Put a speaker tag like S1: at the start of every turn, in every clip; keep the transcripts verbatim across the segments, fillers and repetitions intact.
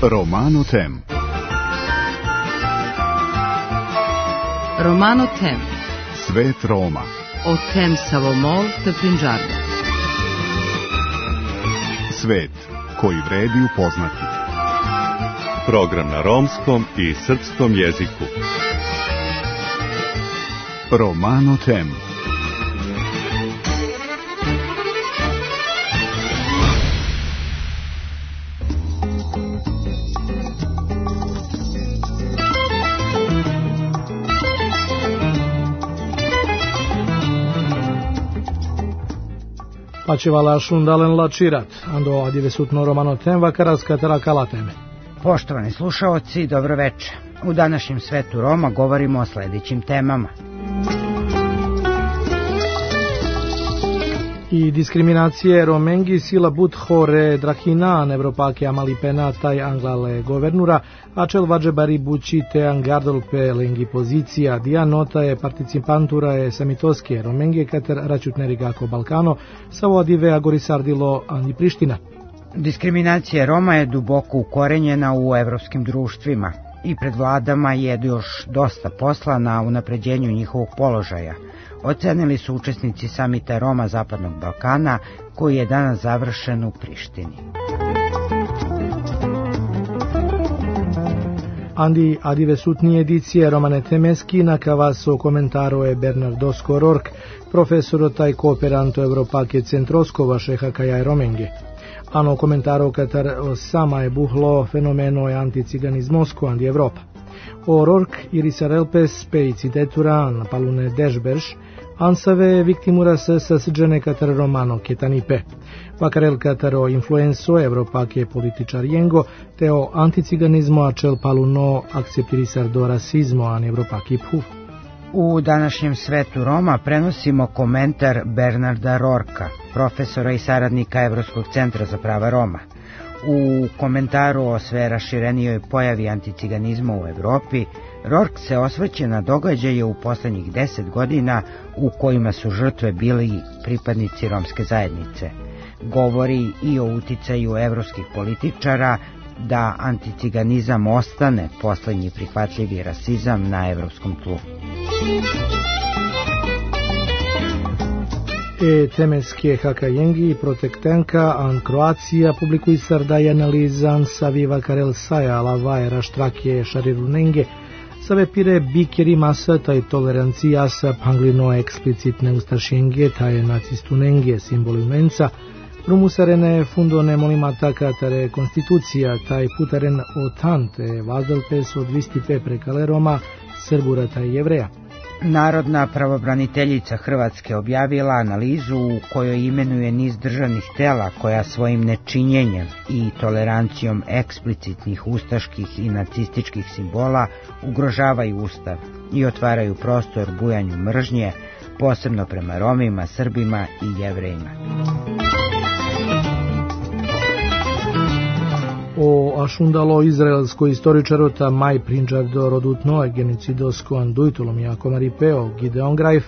S1: Romano Tem.
S2: Romano Tem.
S1: Svet Roma.
S2: O Tem Savomol te Pinđarda.
S1: Svet koji vredi upoznati.
S3: Program na romskom i srpskom jeziku.
S1: Romano Tem.
S4: Pačivala šundalen lačirat, ando adivesutno Romano Tem vakaras katera kalateme.
S5: Poštovani slušaoci, dobro večer. U današnjem svetu Roma govorimo o sljedećim temama.
S4: I diskriminacije romengi sila but hore drahinan evropake amali penata i anglale governura, acel vagebari buci te angardol pe lengi pozicija, dia nota je participantura e samitoske romengi kater račutneri gako Balkano, sa adive agorisardilo ani Priština.
S5: Diskriminacija Roma je duboko ukorenjena u evropskim društvima i pred vladama je još dosta posla na unapređenju njihovog položaja. Ocenili su učesnici samita Roma Zapadnog Balkana, koji je danas završen u Prištini.
S4: Andi adivesutni edicije Romane Temeski na kavaso komentaro je Bernardo Skorork, profesor taj kooperanto Evropake centroskova šeha kajaj romenge. Ano komentaro katar sama je buhlo fenomeno je anticiganizmosko andi Evropa. O Rork irisarelpes pe iciteturan palune dešberš, ansave viktimura se sasđene katar romano ketanipe. Vakarel kataro influenso Evropake političar jengo, te o anticiganizmo acel paluno akceptirisar do rasizmo an Evropaki phu.
S5: U današnjem svetu Roma prenosimo komentar Bernarda Rorka, profesora i saradnika Evropskog centra za prava Roma. U komentaru o sve raširenijoj pojavi anticiganizma u Evropi, Rork se osvrće na događaje u posljednjih deset godina u kojima su žrtve bili pripadnici romske zajednice. Govori i o uticaju evropskih političara da anticiganizam ostane posljednji prihvatljivi rasizam na evropskom tlu.
S4: E temeske hakajengi protektenka an Kroacija publikuisar da je analizan savi vakarel saja lavaje raštrakje šarirunenge save pire bikeri masa taj tolerancija sa panglino eksplicitne ustašenge taj nacistunenge simboli menca rumusarene fundone molimata katare konstitucija taj putaren otante vazdelpes od vistipe prekale Roma Srbura taj Jevreja.
S5: Narodna pravobraniteljica Hrvatske objavila analizu u kojoj imenuje niz državnih tela koja svojim nečinjenjem i tolerancijom eksplicitnih ustaških i nacističkih simbola ugrožavaju Ustav i otvaraju prostor bujanju mržnje, posebno prema Romima, Srbima i Jevrejima.
S4: O ašundalo izraelsko istoričarota Maj Prinđardo rodutno genocidosko andujtolom jako maripeo Gideon Grajf,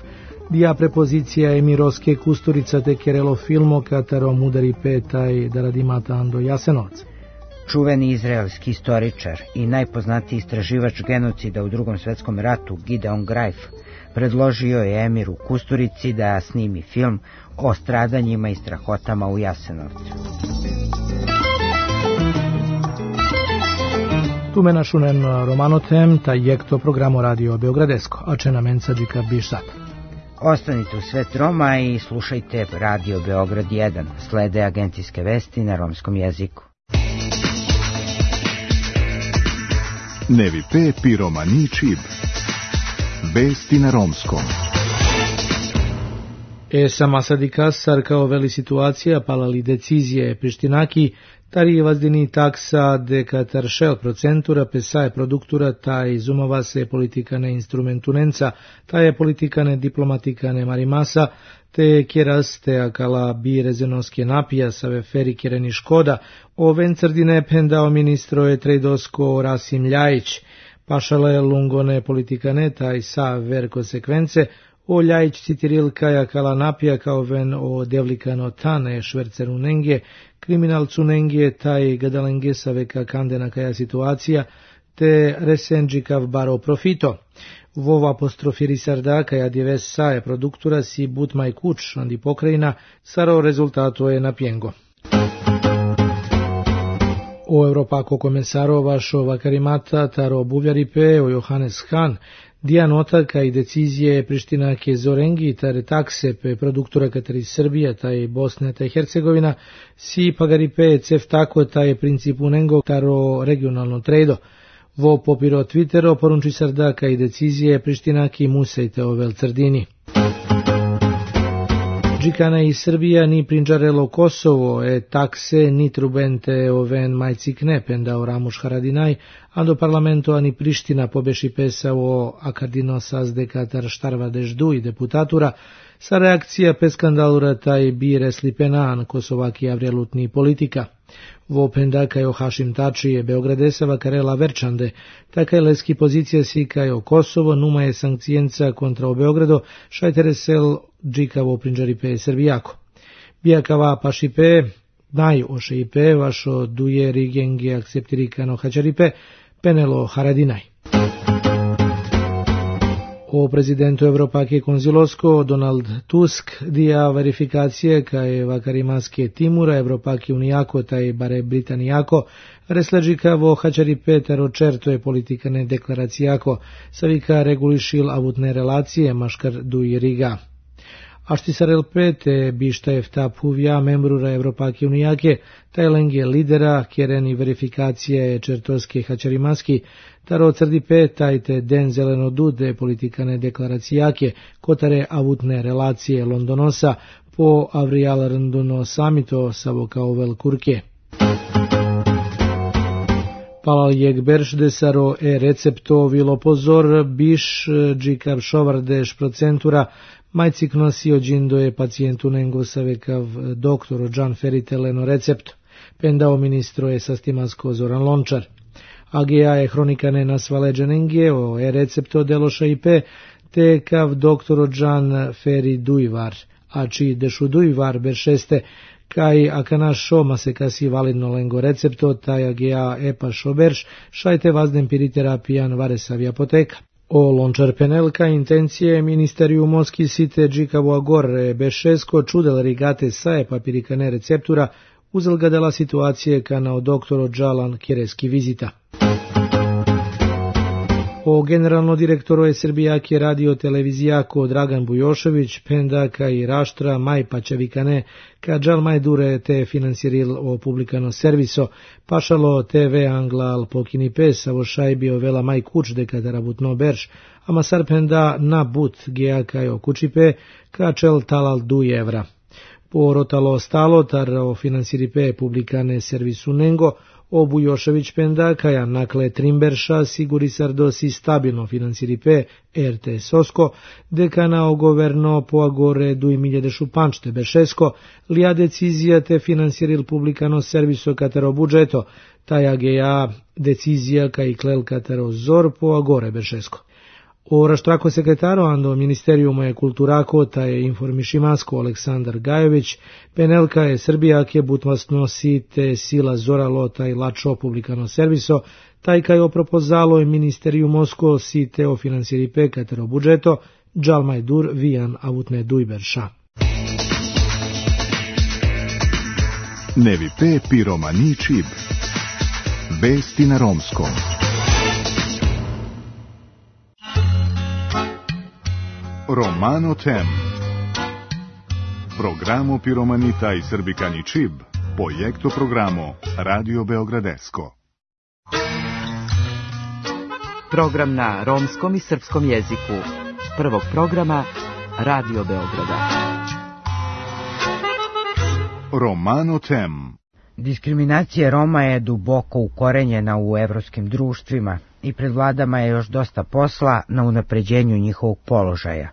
S4: dija prepozicija emiroske kusturica te kerelo filmo katarom udari petaj da radimata ando Jasenovac.
S5: Čuveni izraelski istoričar i najpoznatiji istraživač genocida u Drugom svjetskom ratu Gideon Grajf predložio je emiru Kusturici da snimi film o stradanjima i strahotama u Jasenovcu.
S4: Tume našunen Romano Tem, taj jekto programo Radio Beogradesko, a če na menca džika biš sad.
S5: Ostanite u svet Roma i slušajte Radio Beograd jedan, slede agencijske vesti na romskom jeziku.
S1: Nevi pe pi romani čib. Vesti na romskom.
S4: E sama sadikas sarkao veli situacija palali decizije Prištinaki, tari vazdini taksa de katar šel procentura pesaje produktura taj zumova se politikane instrumentunenca, taj je politikane diplomatikane marimasa, te kjeras te akala bi rezenoske napija save feri kjereni škoda, o vencrdine pendao ministro je trejdosko Rasim Ljajić, Pašale lungone politikane taj sa ver konsekvence, o ljajić citiril kaja kala napija kao ven o devlikano tane šverceru nenge, kriminalcu nenge taj gadalenge sa veka kandena kaja situacija, te resenđikav baro profito. Vova apostrofiri sarda kaja dives sae produktura si but maj kuč andi pokrajina, saro rezultato je napjengo. O Europako komensaro vašo vakarimata taro buvjaripe o Johannes Hahn, dija nota kaj decizije Priština ke zorengi tare takse pe produktora kateri Srbija taj Bosna taj Hercegovina si pagaripe cef tako taj principu nengo taro regionalno trejdo. Vo popiro Twittero porunči sarda kaj decizije Priština ki musejte ovel crdini. Džikana i Srbija ni prinđarelo Kosovo e takse ni trubente oven majcikne penda o Ramuš Haradinaj, a do parlamento ani Priština pobeši pesao akardino sazde katar štarva deždu i deputatura, sa reakcija pe skandalura taj bi reslipenan Kosovaki avrelutni politika. Vo penda kajo Hašim Tači je Beogradesava karela Verčande, takaj leski pozicija si kajo Kosovo numa je sankcijenca kontra o Beogrado, šajteresel džikavo prinđaripe Srbijako. Bijakava pašipe, naj ošeipe, vašo duje rigenge akceptirikano hačaripe, penelo Haradinaj. O prezidentu Evropake konzilosko Donald Tusk dija verifikacije kaj vakarimaske Timura Evropake unijako taj bare Britanijako resleđikavo hačaripe tero čerto je politikane deklaracijako savika regulišil avutne relacije maškar duj riga. Aštisarel pete bišta efta puvja membrura Evropake unijake, taj lenge lidera, kjereni verifikacije čertoske hačarimaski, taro crdi petajte den zeleno dude politikane deklaracijake, kotare avutne relacije Londonosa po Avrial Randuno samito savo kao velkurke. Palal jeg beršde saro e recepto vilo pozor biš džikav šovardeš procentura majcik nosio džindo je pacijentu nengo savekav doktoro Džan Feriteleno recept, pendao ministro je sastimansko Zoran Lončar. A G A je hronikane nasvaleđe nenge o e recepto deloša i pe, te kav doktoro Džan Feri Dujvar, a či dešu Dujvar beršeste, kaj akana šoma se kasi validno lengo recepto, taj A G A epa šoberš, šajte vazden piriterapijan varesavi apoteka. O Lončar penelka intencije ministeriju Moski site džikavo agor bešesko čudel rigate sae papirikane receptura uzel ga dela situacije kanao doktoro Džalan Kjereski vizita. O generalno direktoru je Srbijake radio televizijako Dragan Bujošević, pendaka i raštra maj pačevikane, ka džal maj dure te finansiril o publikano serviso, pašalo te ve angla al pokini pes, avo šajbio vela maj kuč dekatara butno berš, ama sar penda na but geaka jo kučipe, ka čel talal du evra. Po rotalo stalo tar o finansiripe publikane servisu nengo, o Bujošević penda kaja nakle trimberša siguri sardosi stabilno finansiripe R T Sosko, dekana o governo po agore duj miljede šupančte bešesko, lija decizija te finansiril publikano serviso katero budžeto, taj A G A decizija kaj klel katero zor po agore bešesko. O raštrako sekretaro ando ministerijumo je kulturako taj informišimasko Aleksandar Gajović, penelka je Srbijake butmasno si te sila zoralo taj lačo publikano serviso, taj kaj opropozalo je ministeriju Mosko si te o finansiripe katero budžeto, džalmaj dur vijan avutne dujberša.
S1: Nevi pe piromani čib. Vesti na romskom. Romano Tem. Programo Piromanita i Srbikani Čib, projekto programo Radio Beogradesko.
S2: Program na romskom i srpskom jeziku. Prvog programa Radio Beograda.
S1: Romano Tem.
S5: Diskriminacija Roma je duboko ukorenjena u evropskim društvima i pred vladama je još dosta posla na unapređenju njihovog položaja,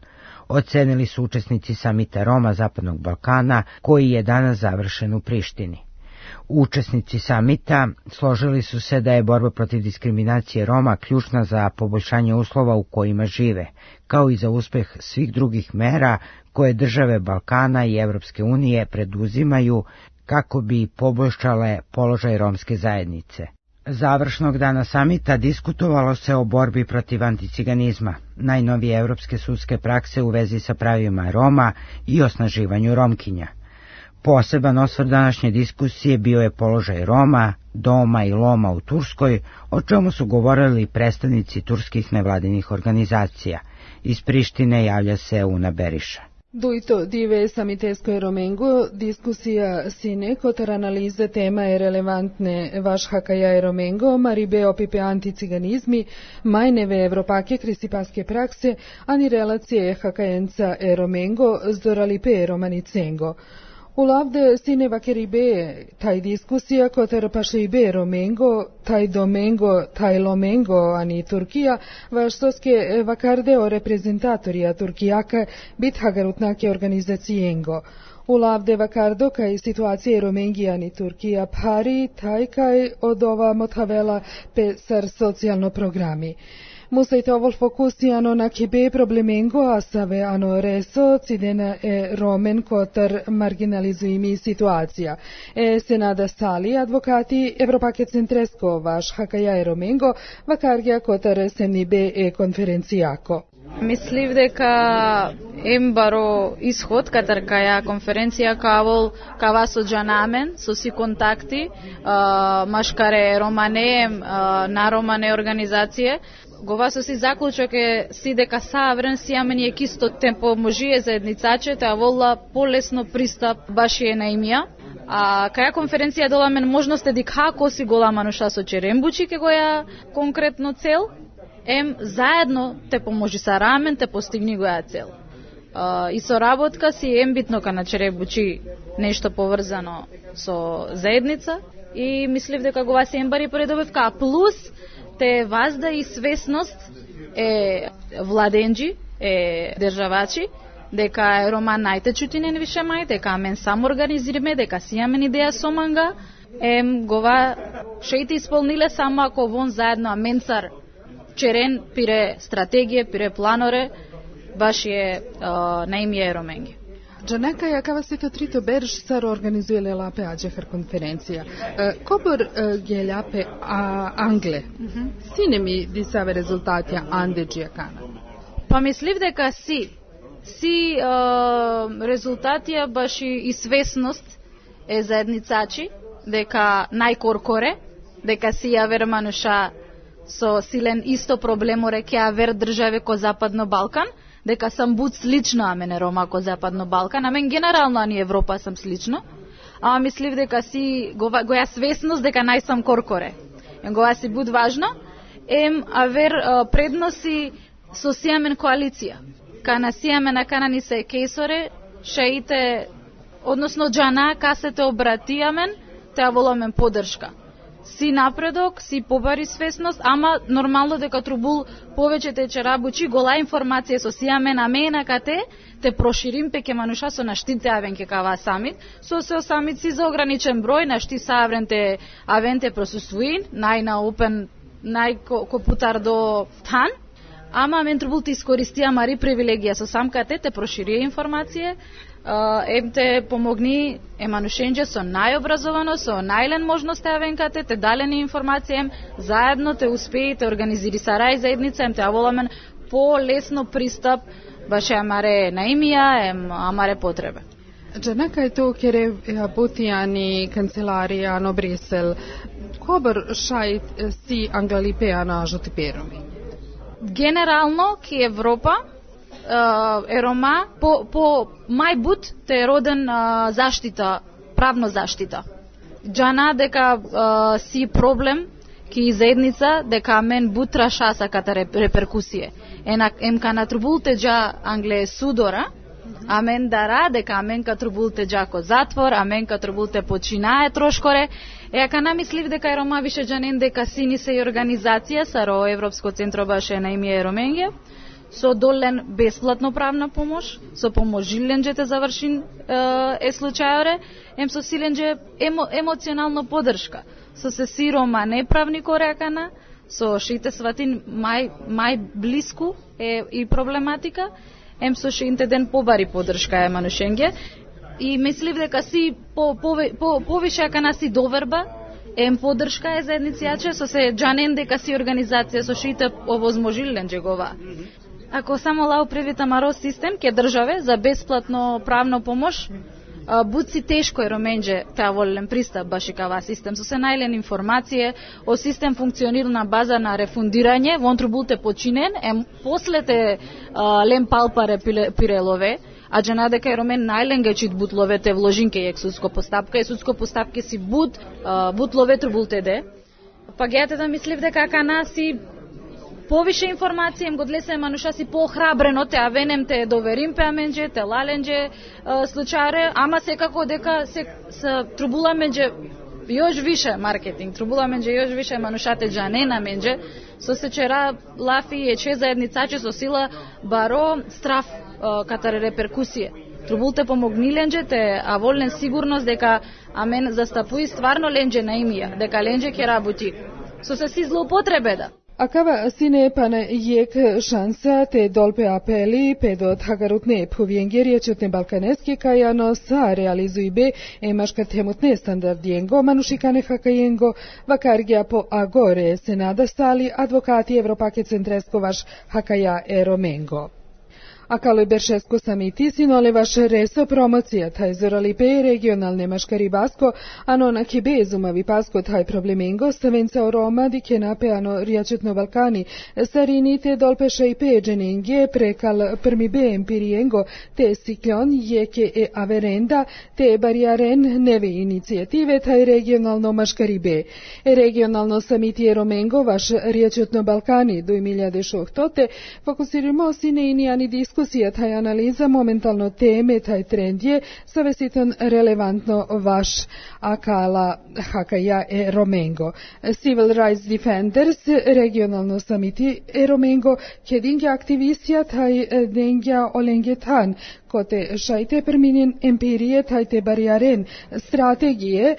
S5: ocenili su učesnici samita Roma Zapadnog Balkana, koji je danas završen u Prištini. Učesnici samita složili su se da je borba protiv diskriminacije Roma ključna za poboljšanje uslova u kojima žive, kao i za uspeh svih drugih mera koje države Balkana i Evropske unije preduzimaju kako bi poboljšale položaj romske zajednice. Završnog dana samita diskutovalo se o borbi protiv anticiganizma, najnovije evropske sudske prakse u vezi sa pravima Roma i osnaživanju Romkinja. Poseban osvrt današnje diskusije bio je položaj Roma, Doma i Loma u Turskoj, o čemu su govorili predstavnici turskih nevladinih organizacija. Iz Prištine javlja se Una Beriša.
S6: Duito dive samitesko Romengo, diskusija sine kotar analize tema je relevantne vaš hakaja Romengo, maribe opipe anticiganizmi, majneve evropake krisipaske prakse, ani relacije hakajenca Romengo zdoralipe romanicengo. Ulavde sine vakeribe taj diskusija kotar pašeibe Romengo, taj Domengo, taj Lomengo, ani Turkija, vaštoske vakarde o reprezentatorija Turkijaka bit hagarutnake organizacijengo. Ulavde vakardo kaj situacije Romengija ani Turkija pari, taj kaj od ova motavela pe sar socijalno programi. Musajte ovol fokusijano na kibe problemengo asave ano reso cidena e romen kotar marginalizuimi situacija. E senada stali advokati Evropake centresko vaš hakaja e romengo vakargja kotar semnibe e konferencijako.
S7: Мислив дека ем баро исход катар каја конференција кавол кава со джанамен, со си контакти, машкаре романе, на романе организација, гова со си заклучок е си дека саврен си амени е кисто темпо можие заедницачете, а волла полесно пристап баши е на имија. А каја конференција доламен можност е како си голама нуша со черембучи ке гоја конкретно цел, ем заедно те поможи са рамен, те постигни гоја цел. Uh, и соработка си ем битно ка на черебучи нешто поврзано со заедница и мислив дека гова си ембари поредовивка, плюс те вазда и свесност е владенџи, е државачи, дека е Рома најте чутинен више мај, дека мен само организириме, дека си јамен идеја со манга, ем гова шејте исполниле само ако вон заедно аменцар черен пире стратегија, пире планоре, баш е на имје Роменги.
S6: Джанека јакава сето трито берш сар организуеле лапе аџехар конференција. Кобор гелјапе англе, сине ми дисаве резултатија андеџија кана?
S7: Па мислив дека си, си резултатија баш и свесност е заедницачи, дека најкоркоре, дека си ја вермануша со силен исто проблеморе ке авер државе ко Западно Балкан, дека сам буд слично, а мене Рома ко Западно Балкан, а мен генерално ани Европа сам слично, а мислив дека си гоја, гоја свесност дека нај сам коркоре. Гоја си буд важно, ем авер предноси со сијамен коалиција. Кана сијамена кана ни се кейсоре, шеите, односно джана, касете обратијамен, те воламен поддршка. Си напредок, си побари свесност, ама нормално дека трубул повеќе те черабучи гола информација со сијамен амена кате, те проширим пеке мануша со наштите авенке кава самит, со се самит си за ограничен број, нашти савренте авенте просуствуин, нај на опен, нај копутар до тан, ама мен трубул те искористија мари привилегија со самкате, те проширија информација, ем те помогни еманушенџе со најобразовано, со најлен можност авенкате, те далени информација, ем заедно те успеи, те организири сарај заедница, ем те аволамен по-лесно пристап, баше амаре на имија, ем амаре потребе.
S6: Джанака е то кере бутијани канцеларија на Брисел, кобар шајт си англалипеа на жотипероми?
S7: Генерално ки Европа е Рома по, по мајбут те е роден а, заштита, правно заштита. Джана дека а, си проблем ки заедница дека мен бутра шаса ката реперкусие. Енак ем кана трубулте джа Англе судора, а мен дара дека мен ка трубулте джа ко затвор, а мен ка трубулте починае трошкоре. Е, ака намислив дека е Рома више джанен дека сини се и организација саро Европско центро баше на имје Роменге, со долен бесплатно правна помош, со помош жиленџете завршин е случајоре, ем со силенџе емо, емоционална подршка, со се сирома неправни коракана, со шите сватин мај, мај блиску е и проблематика, ем со шите ден побари подршка е манушенге, и мислив дека си по, по, по, повише кана си доверба, ем подршка е заедници јаче, со се джанен дека си организација со шите овозможилен джегова. Ако само лау привита маро систем ке државе за бесплатно правно помош, буци тешко е роменџе таа волен пристап баш и кава систем, со се најлен информација, о систем функционира на база на рефундирање, вонтру булте починен, ем послете лем палпаре пирелове, а джана дека е ромен најленга чит бутловете вложинке ек судско постапка, и судско постапке си бут, бутловете бултеде. Па гејате да мислив дека кана си повише информација им го длесе мануша си поохрабрено те авенем те доверим пеаменџе, те лаленџе случајре, ама секако дека се, се трубула менџе још више маркетинг, трубула менџе још више манушате джанена менџе, со се чера лафи е че заедницаче со сила баро страф катаре реперкусија. Трубулте помогниленџе те, а волен сигурност дека амен застапуи стварно ленџе на имија, дека ленџе ке работи. Со се си злоупотребеда.
S6: Акава сине пане јек шанса те долпе апели педот хагарутне повиенгеријачот балканески кајано са реализуи бе емашка темутне стандардиенго манушикане хакајенго вакаргија по агоре се надастали адвокати Европаке центреско ваш хакаја ероменго. Акало Бершеско самити синолеваш ресо промоција тај зоралипе регионалне машкари баско, ано на кебе зумави паско тај проблеменго ставенца орома ди кенапе ано ријачетно Балкани, сарините долпеша и педжененге прекал прми бе емпириенго, те сиклон јеке е аверенда, те бариарен неве иницијативе тај регионално машкари бе. Регионално самити ероменго ваш ријачетно Балкани до две шестнадесети фокусирamo си неинијани дискусија тај анализа моментално теме тај тренд е savesitон релевантно ваш акала хакаја е Роменго. Civil Rights Defenders регионално самити е Роменго кединге активисија тај денгја оленгетан коте шајте перминен емпирие тајте бариарен стратегије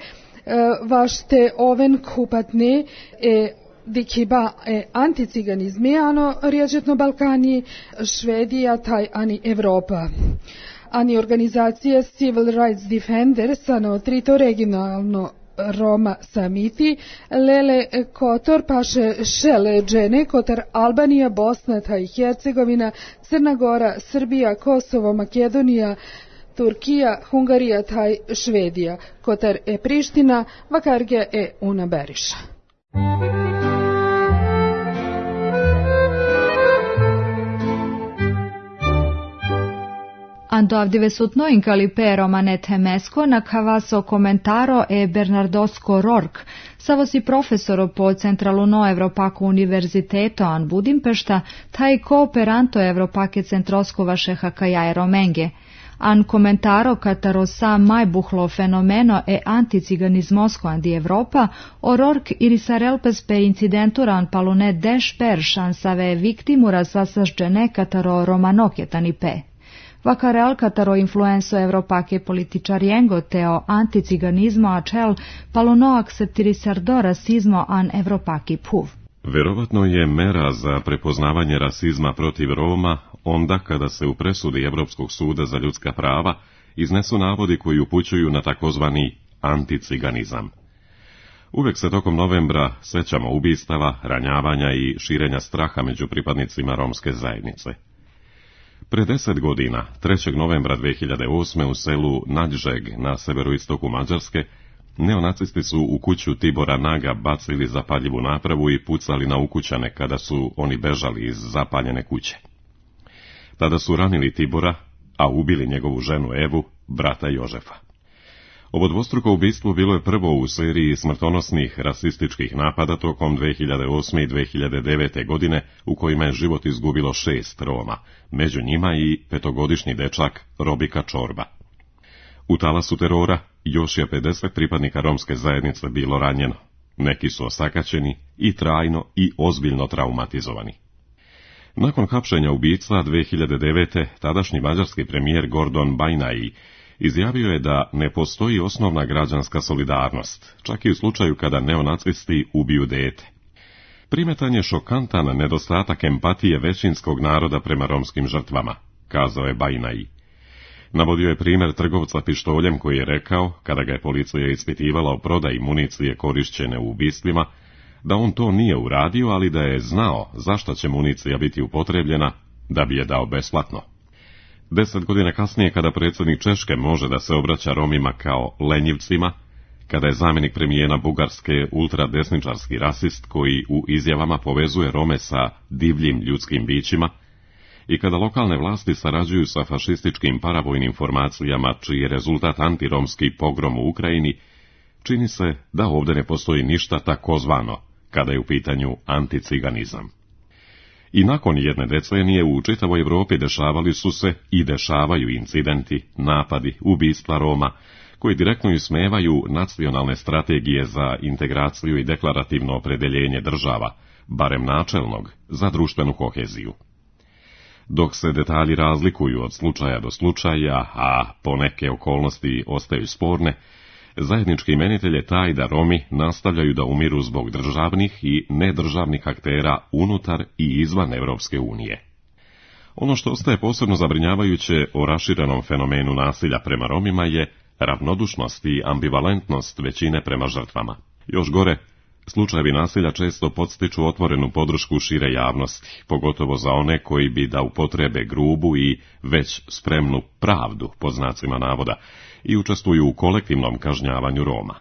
S6: ваште овен купатне е Дикиба е антициганизме, ано ријачетно Балкани, Шведија, тај ани Европа. Ани организација Civil Rights Defenders, ано трито регионално Рома самити, Леле Котор, паше Шеле Джене, Котар Албанија, Босна, тај Херцеговина, Црна Гора, Србија, Косово, Македонија, Туркија, Хунгарија, тај Шведија, Котар е Приштина, Вакаргија е Уна Бериша.
S8: Ando avdivesutno incalipero manetemesco na cavaso commentaro e Bernardosco Rork, savosi profesoro po Centraluno Evropako Univerziteto an Budimpešta, taj kooperanto Evropake Centroskova šehakaja Romenge. An komentaro kataro sa majbuhlo fenomeno e anticiganizmosko andi Evropa, o Rork ili sarelpes per incidenturan palune deš peršan save viktimura sasažđene kataro romanokjetani pe. Vakarel kataro influenso Evropake političariengo teo anticiganizmo acel paluno akceptirisardo rasizmo an Evropaki puv.
S3: Verovatno je mera za prepoznavanje rasizma protiv Roma onda kada se u presudi Evropskog suda za ljudska prava iznesu navodi koji upućuju na takozvani anticiganizam. Uvek se tokom novembra sećamo ubistava, ranjavanja i širenja straha među pripadnicima romske zajednice. Pre deset godina, trećeg novembra dve hiljade osme. u selu Nađžeg na severoistoku Mađarske, neonacisti su u kuću Tibora Naga bacili zapaljivu napravu i pucali na ukućane kada su oni bežali iz zapaljene kuće. Tada su ranili Tibora, a ubili njegovu ženu Evu, brata Jožefa. Ovo dvostruko ubistvo bilo je prvo u seriji smrtonosnih rasističkih napada tokom dve hiljade osme. i dve hiljade devete. godine, u kojima je život izgubilo šest Roma, među njima i petogodišnji dečak Robika Čorba. U talasu terora još je pedeset pripadnika romske zajednice bilo ranjeno. Neki su osakaćeni i trajno i ozbiljno traumatizovani. Nakon hapšenja ubica dve hiljade devete. tadašnji mađarski premijer Gordon Bajnai izjavio je da ne postoji osnovna građanska solidarnost, čak i u slučaju kada neonacisti ubiju dete. Primetan je šokantan nedostatak empatije većinskog naroda prema romskim žrtvama, kazao je Bajnai. Navodio je primjer trgovca pištoljem koji je rekao, kada ga je policija ispitivala o prodaji municije korišćene u ubistvima, da on to nije uradio, ali da je znao zašto će municija biti upotrebljena, da bi je dao besplatno. Deset godina kasnije, kada predsjednik Češke može da se obraća Romima kao lenjivcima, kada je zamjenik premijera Bugarske ultradesničarski rasist koji u izjavama povezuje Rome sa divljim ljudskim bićima, i kada lokalne vlasti sarađuju sa fašističkim paravojnim formacijama čiji je rezultat antiromski pogrom u Ukrajini, čini se da ovdje ne postoji ništa takozvano kada je u pitanju anticiganizam. I nakon jedne decenije u čitavoj Europi dešavali su se i dešavaju incidenti, napadi, ubistva Roma, koji direktno ismevaju nacionalne strategije za integraciju i deklarativno opredeljenje država, barem načelnog, za društvenu koheziju. Dok se detalji razlikuju od slučaja do slučaja, a poneke okolnosti ostaju sporne, zajednički imenitelj je taj da Romi nastavljaju da umiru zbog državnih i nedržavnih aktera unutar i izvan Evropske unije. Ono što ostaje posebno zabrinjavajuće o raširenom fenomenu nasilja prema Romima je ravnodušnost i ambivalentnost većine prema žrtvama. Još gore, slučajevi nasilja često podstiču otvorenu podršku šire javnosti, pogotovo za one koji bi da upotrebe grubu i već spremnu pravdu, pod znacima navoda, i učestvuju u kolektivnom kažnjavanju Roma.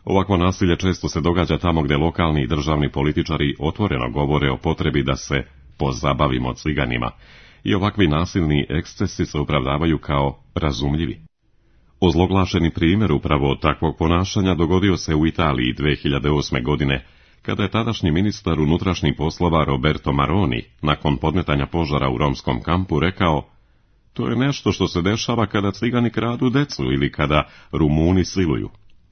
S3: Ovakvo nasilje često se događa tamo gdje lokalni i državni političari otvoreno govore o potrebi da se pozabavimo ciganima, i ovakvi nasilni ekscesi se opravdavaju kao razumljivi. Ozloglašeni primjer upravo takvog ponašanja dogodio se u Italiji dve hiljade osme. godine, kada je tadašnji ministar unutrašnjih poslova Roberto Maroni, nakon podmetanja požara u romskom kampu, rekao: "To je nešto što se dešava kada cigani kradu decu ili kada Rumuni siluju."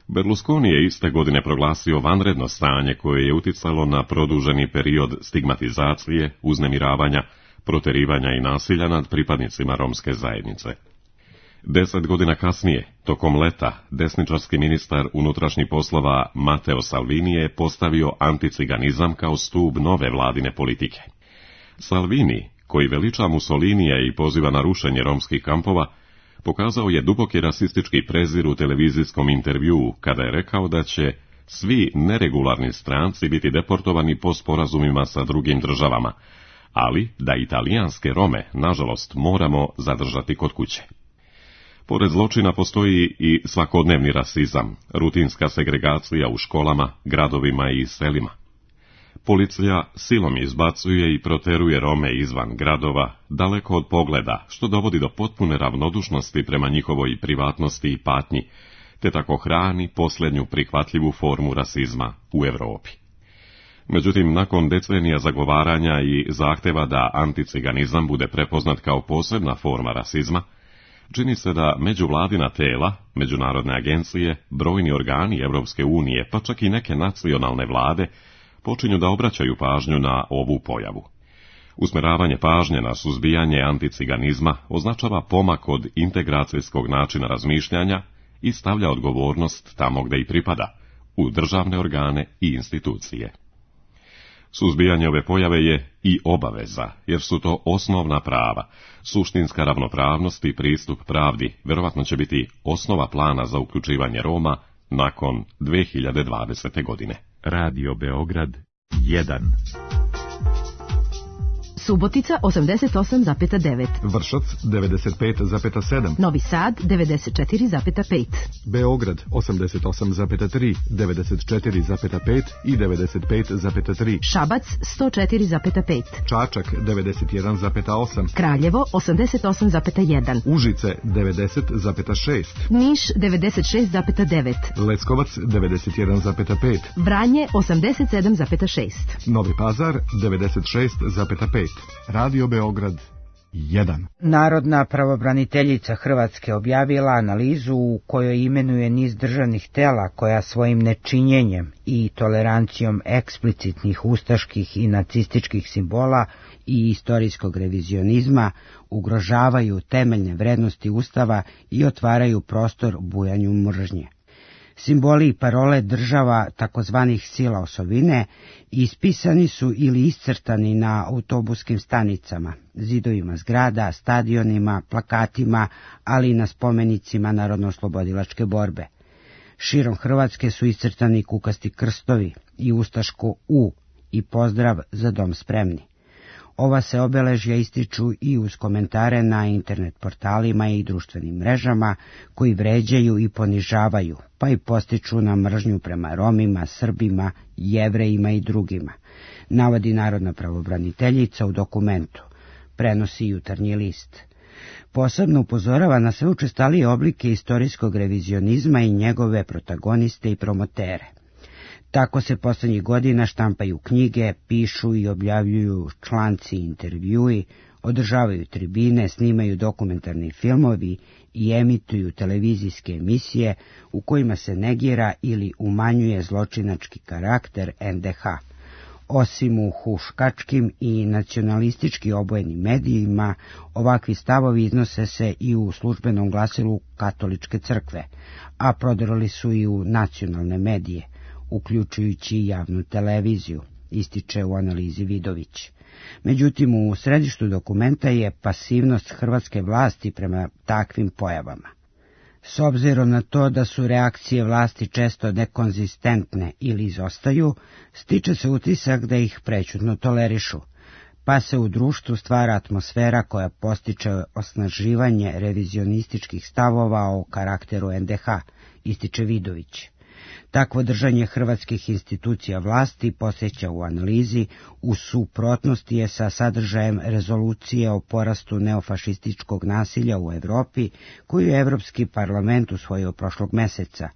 S3: Berlusconi je iste godine proglasio vanredno stanje koje je uticalo na produženi period stigmatizacije, uznemiravanja, proterivanja i nasilja nad pripadnicima romske zajednice. Deset godina kasnije, tokom leta, desničarski ministar unutrašnjih poslova Matteo Salvini je postavio anticiganizam kao stup nove vladine politike. Salvini, koji veliča Mussolinija i poziva na rušenje romskih kampova, pokazao je duboki rasistički prezir u televizijskom intervjuu kada je rekao da će svi neregularni stranci biti deportovani po sporazumima sa drugim državama, ali da italijanske Rome, nažalost, moramo zadržati kod kuće. Pored zločina postoji i svakodnevni rasizam, rutinska segregacija u školama, gradovima i selima. Policija silom izbacuje i proteruje Rome izvan gradova, daleko od pogleda, što dovodi do potpune ravnodušnosti prema njihovoj privatnosti i patnji, te tako hrani posljednju prihvatljivu formu rasizma u Europi. Međutim, nakon decenija zagovaranja i zahteva da anticiganizam bude prepoznat kao posebna forma rasizma, čini se da međuvladina tela, međunarodne agencije, brojni organi Evropske unije, pa čak i neke nacionalne vlade, počinju da obraćaju pažnju na ovu pojavu. Usmeravanje pažnje na suzbijanje anticiganizma označava pomak od integracijskog načina razmišljanja i stavlja odgovornost tamo gdje i pripada, u državne organe i institucije. Suzbijanje ove pojave je i obaveza, jer su to osnovna prava. Suštinska ravnopravnost i pristup pravdi vjerovatno će biti osnova plana za uključivanje Roma nakon dve hiljade dvadesete. godine.
S9: Radio Beograd jedan.
S10: Subotica osamdeset osam zarez devet.
S11: Vršac devedeset pet zarez sedam.
S10: Novi Sad devedeset četiri zarez pet.
S11: Beograd osamdeset osam zarez tri, devedeset četiri zarez pet i devedeset pet zarez tri.
S10: Šabac sto četiri zarez pet.
S11: Čačak devedeset jedan zarez osam.
S10: Kraljevo osamdeset osam zarez jedan.
S11: Užice devedeset zarez šest.
S10: Niš devedeset šest zarez devet.
S11: Leskovac devedeset jedan zarez pet.
S10: Vranje osamdeset sedam zarez šest.
S11: Novi Pazar devedeset šest zarez pet. Radio Beograd jedan.
S5: Narodna pravobraniteljica Hrvatske objavila analizu u kojoj imenuje niz državnih tela koja svojim nečinjenjem i tolerancijom eksplicitnih ustaških i nacističkih simbola i istorijskog revizionizma ugrožavaju temeljne vrednosti Ustava i otvaraju prostor bujanju mržnje. Simboli i parole država takozvanih sila osovine ispisani su ili iscrtani na autobuskim stanicama, zidovima zgrada, stadionima, plakatima, ali i na spomenicima narodnooslobodilačke borbe. Širom Hrvatske su iscrtani kukasti krstovi i ustaško U i pozdrav za dom spremni. Ova se obeležja ističu i uz komentare na internet portalima i društvenim mrežama koji vređaju i ponižavaju, pa i postiču na mržnju prema Romima, Srbima, Jevrejima i drugima, navodi Narodna pravobraniteljica u dokumentu, prenosi Jutarnji list. Posebno upozorava na sve učestalije oblike istorijskog revizionizma i njegove protagoniste i promotere. Tako se poslednjih godina štampaju knjige, pišu i objavljuju članci i intervjui, održavaju tribine, snimaju dokumentarni filmovi i emituju televizijske emisije u kojima se negira ili umanjuje zločinački karakter en de ha. Osim u huškačkim i nacionalistički obojenim medijima, ovakvi stavovi iznose se i u službenom glasilu Katoličke crkve, a prodirali su i u nacionalne medije, uključujući i javnu televiziju, ističe u analizi Vidović. Međutim, u središtu dokumenta je pasivnost hrvatske vlasti prema takvim pojavama. S obzirom na to da su reakcije vlasti često nekonzistentne ili izostaju, stiče se utisak da ih prećutno tolerišu, pa se u društvu stvara atmosfera koja postiče osnaživanje revizionističkih stavova o karakteru en de ha, ističe Vidović. Takvo držanje hrvatskih institucija vlasti, posjeća u analizi, u suprotnosti je sa sadržajem rezolucije o porastu neofašističkog nasilja u Evropi, koju je Evropski parlament usvojio prošlog meseca,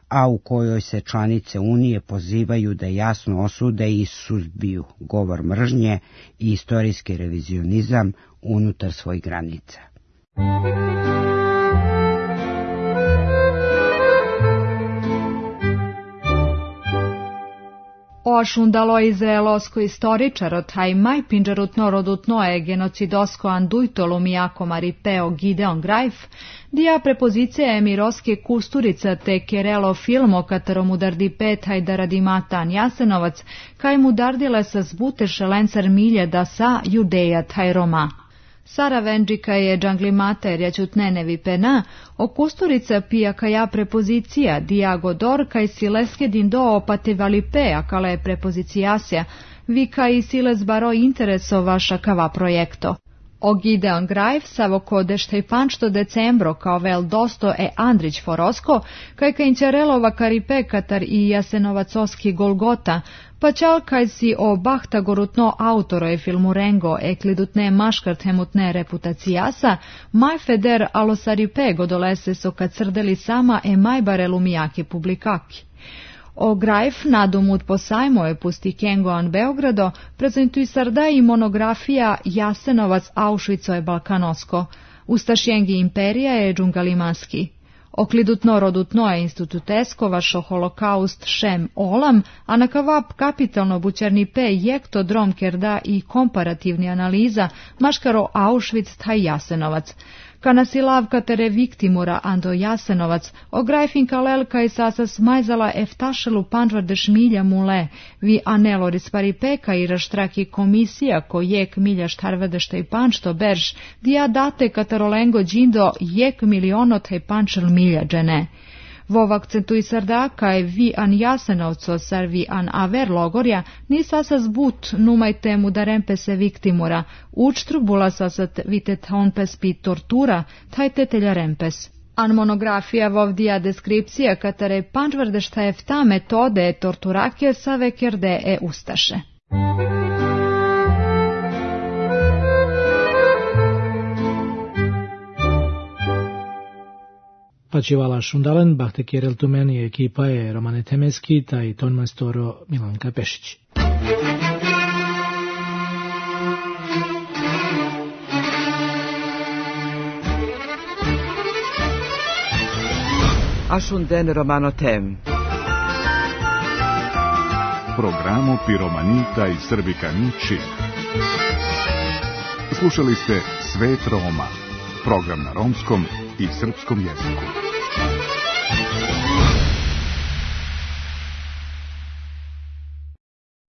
S5: a u kojoj se članice Unije pozivaju da jasno osude i suzbiju govor mržnje i istorijski revizionizam unutar svojih granica.
S8: Ošundalo izraelosko istoričaro taj maj pinđarutno rodutno je genocidosko anduitolo mijako maripeo Gideon Grajf, dija prepozicija emiroske kusturica te kerelo filmo kataromu dardi petaj da radi matan Jasenovac, kaj mu dardile sa zbute šelencar milje da sa judeja taj Roma. Sara Vendžika je džanglimata jer jaćutnenevi pena, o kusturica pija kaja prepozicija, diago dor kaj sileske din do opate valipea kala je prepozicijasja, vi kaj siles baro intereso vaša kava projekto. O Gideon Grajf savo kodešte i pančto decembro kao vel dosto e Andrić Forosko, kaj kanjčarelova karipe katar i Jasenovacoski Golgota, pa čal kaj si o bahta gorutno autoro je filmu Rengo eklidutne maškart hemutne reputacijasa, maj feder alosaripe godolese so kad srdeli sama e majbare lumijake publikaki. O Grajf nadumut posajmo je pusti Kengoan Beogrado, prezentuj sarda i monografija Jasenovac Auschwitzo je Balkanosko, Ustašjengi imperija je džungalimanski. Oklidutno rodutno je institutesko vašo holokaust šem olam, a na kavap kapitalno bućarni pe jekto drom kerda i komparativni analiza maškaro Auschwitz taj Jasenovac. Kana silavka tere viktimura ando Jasenovac, o Grajfin kalelka i sasas majzala eftašelu pančvardeš milja mule, vi aneloris paripeka i raštraki komisija ko jek milja štarvedešta i pančto berž, dija date katarolengo džindo jek miliono taj pančel milja džene. Vov akcentuj sarda kaj vi an Jasenovco sar vi an aver logorja ni sasas but numaj temu da rempese viktimura, učtrubula sasat vitet honpes pi tortura, taj tetelja rempes. An monografija vovdija deskripcija katare pančvardešta efta metode torturake save kerde e ustaše.
S4: Pačivala Šundalen, Bahte Kjerel Tumeni, ekipa je Romane Temeski, taj ton majstoro Milanka Pešić.
S2: Ashunden Romano Tem.
S1: Programo Piromanita i Srbikani Čib. Slušali ste Svet Roma, program na romskom i srpskom jeziku.